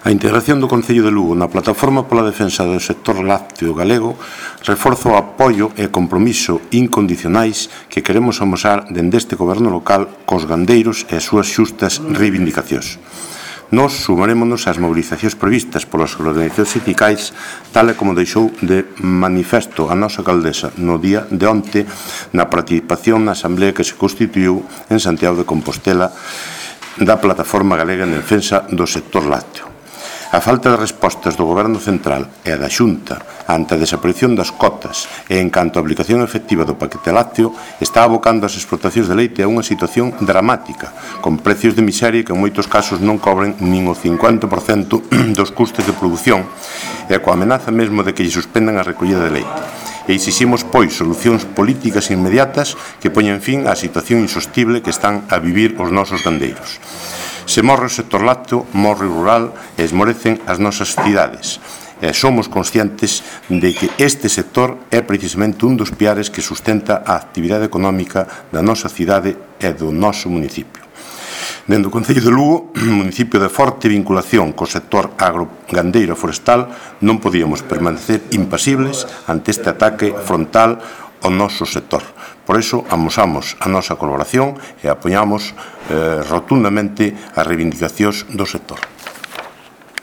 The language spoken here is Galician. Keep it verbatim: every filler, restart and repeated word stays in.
A integración do Concello de Lugo na Plataforma pola Defensa do Sector Lácteo Galego reforza o apoio e compromiso incondicionais que queremos amosar dende este goberno local cos gandeiros e as súas xustas reivindicacións. Nos sumarémonos ás mobilizacións previstas polas organizacións sindicais, tal e como deixou de manifesto a nosa alcaldesa no día de onte na participación na asamblea que se constituiu en Santiago de Compostela da Plataforma Galega en Defensa do Sector Lácteo. A falta de respostas do Goberno Central e da Xunta ante a desaparición das cotas e en canto a aplicación efectiva do paquete lácteo está abocando as explotacións de leite a unha situación dramática, con precios de miseria que en moitos casos non cobren nin o cincuenta por cento dos custes de produción e coa amenaza mesmo de que lle suspendan a recollida de leite. E exiximos, pois, solucións políticas inmediatas que poñen fin á situación insostible que están a vivir os nosos gandeiros. Se morre o sector lácteo, morre o rural e esmorecen as nosas cidades. E somos conscientes de que este sector é precisamente un dos piares que sustenta a actividade económica da nosa cidade e do noso municipio. Dende o Concello de Lugo, municipio de forte vinculación co sector agrogandeiro e forestal, non podíamos permanecer impasibles ante este ataque frontal ao noso sector. Por iso, amosamos a nosa colaboración e apoiamos eh, rotundamente as reivindicacións do sector.